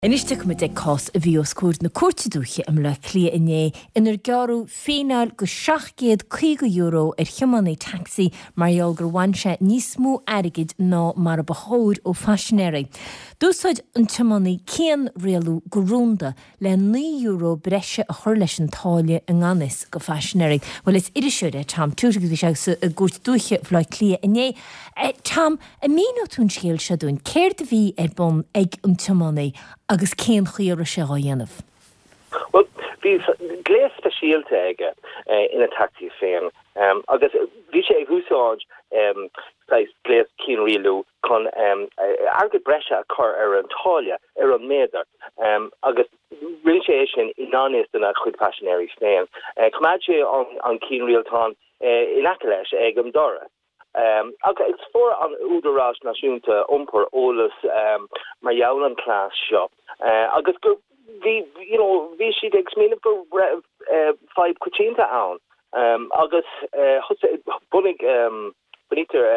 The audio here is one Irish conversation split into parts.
Anois tiocfaimid ag cás a bhí os comhair na Cúirte Dúiche i mBaile Átha Cliath inné inar gearradh fíneáil go €750 ar thiománaí tacsaí mar gheall gur bhain sé níos mó airgid ná mar a ba chóir ó phaisinéirí. D'úsáid an tiománaí cianrialú go rúnda le €9 breise a chur leis an táille i ngan fhios go phaisinéirí. Bhuel is iriseoir é Tom Tuite agus bhí sé sa gCúirt Dúiche Bhaile Átha Cliath inné. Tom, an míneoidh tú an scéal seo dúinn? Céard a bhí ar bun ag an tiománaí agus cén chaoi a raibh sé dhá dhéanamh? Bhuel, bhí gléas speisialta aige ina tacsaí féin agus bhí sé ag úsáid saghas gléas cianrialú chun airgead breise a chur ar an táille ar an méadar agus rinne sé é sin i ngan fhios dona chuid paisinéirí féin. Choimeád sé an cianrialtán in aice leis ag an doras. Agus fuair an Údarás Náisiúnta Iompair eolas mar gheall an cleas seo agus gur bhí you know bhí siad ag smaoineamh go raibh fadhb coitianta ann agus thosaigh bhunaigh Bunaítear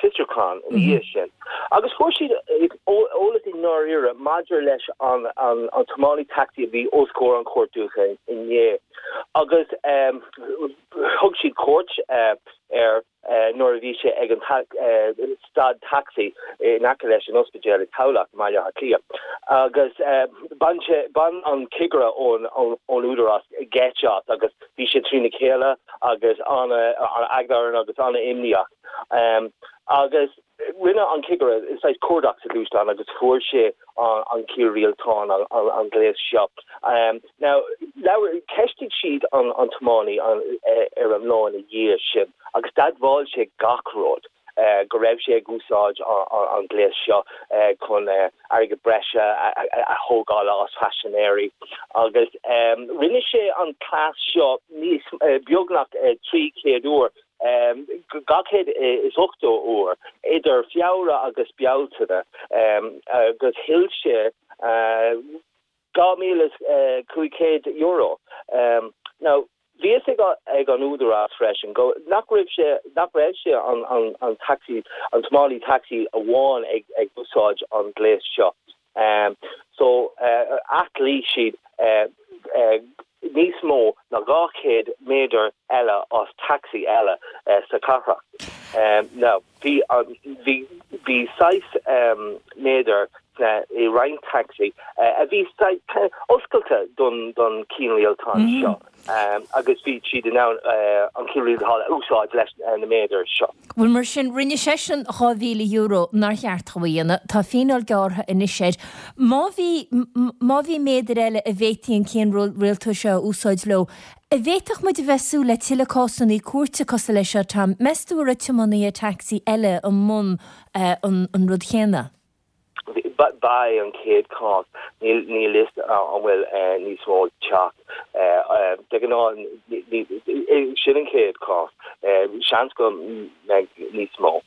fiosrúchán ina dhiaidh sin agus fuair siad eolas i ndáiríre maidir leis an tiománaí tacsaí a bhí os comhair an Chúirt Dúiche inné agus thug siad cuairt air nuair a bhí sé ag an stad tacsaí in aice leis an ospidéal i Tamhlacht i mBaile Átha Cliath agus bhain sé bhain an cigire ón Údarás geit as agus Bhí sé trína chéile agus an-eagla air agus an-imníoch. Agus rinne an cigire saghas cuardach sa ghluaisteán agus fuair sé an cianrialtán, an gléas seo. Now, labhair, cheistigh siad an tiománaí ar an lá ina dhiaidh sin agus d'admháil sé gach rud. go raibh sé ag úsáid an ghléas seo chun airgead breise a thógáil as paisinéirí agus rinne sé an cleas seo níos beagnach 300 uair, 280 uair, idir Feabhra agus Bealtaine agus thuill sé €2,500. Now, bhí fhios ag an údarás freisin go nach raibh sé nach raibh sé an an tacsaí an tiománaí tacsaí amháin ag ag úsáid an gléas seo. So athghlaoigh siad níos mó ná 200 méadar eile as tacsaí eile sa chathrach. Now bhí an bhí bhí saghas méadar sna i roinnt tacsaí a bhí saghas oscailte don don cianrialtán seo agus bhí siad in ann an cianrialtán a úsáid leis na méadair seo. Bhuel mar sin, rinne seisean €2,000 nár cheart dó a dhéanamh. Tá fíneáil gearrtha anois air. Má bhí má bhí méadair eile a bhféadfaí an cianrialtán seo a úsáid leo, An bhféadfadh muid a bheith ag súil le tuilleadh cásanna cúirte cosúil leis seo, Tom? Meas tú an raibh tiománaithe tacsaí eile i mbun an rud chéanna? Ba é an chéad chás. Níl fhios an bhfuil níos mó ag teacht. De ghnáth, sin an chéad chás. Seans go mbeidh níos mó.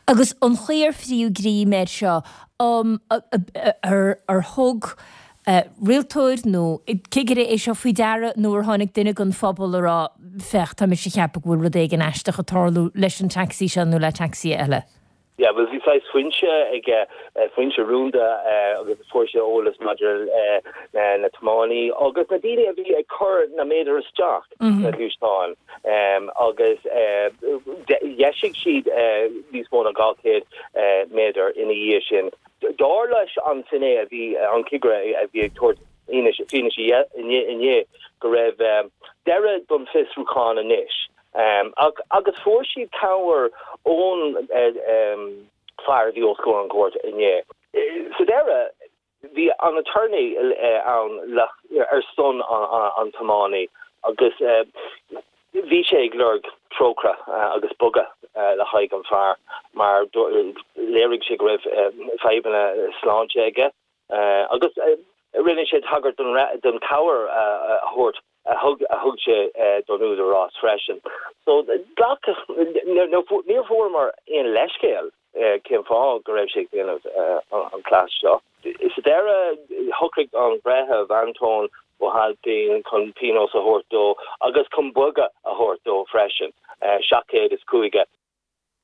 Agus an chaoi ar fríodh greim air seo, ar thug rialtóir nó cigire é seo faoi deara nó ar tháinig duine den phobal a rá, féach, tá mise a cheapadh go bhfuil rud éigin aisteach ag tarlú leis an taxi seo nó le taxi eile? Yeah, bhuel bhí saghas foinse aige, foinse rúnda agus fuair sé eolas maidir le na tiománaí agus na daoine a bhí ag cur na méadair isteach sna gluaisteáin agus dheisigh siad níos mó ná 200 méadar ina dhiaidh sin. Dar leis an finné a bhí, an cigire a bhí ag tabhairt fianaise inné go raibh deireadh don fiosrúchán anois. Agus fuair siad cabhair ón fear a bhí os comhair an chúirt inné. Sa deireadh, bhí an attorney ann ar son an tiománaí agus bhí sé ag lorg trócaire agus bogadh le haghaidh an fear mar léirigh sé go raibh fadhbanna sláinte aige agus rinne sé tagairt don chabhair a thabhairt a thug a thug sé don údarás freisin. So ghlac níor fuaireamar aon leithscéal cén fáth go raibh sé ag déanamh an cleas seo. Sa deireadh shocraigh an breitheamh Antóin Ó hAilpín chun pionós a thabhairt dó agus chun bogadh a thabhairt dó freisin, 750.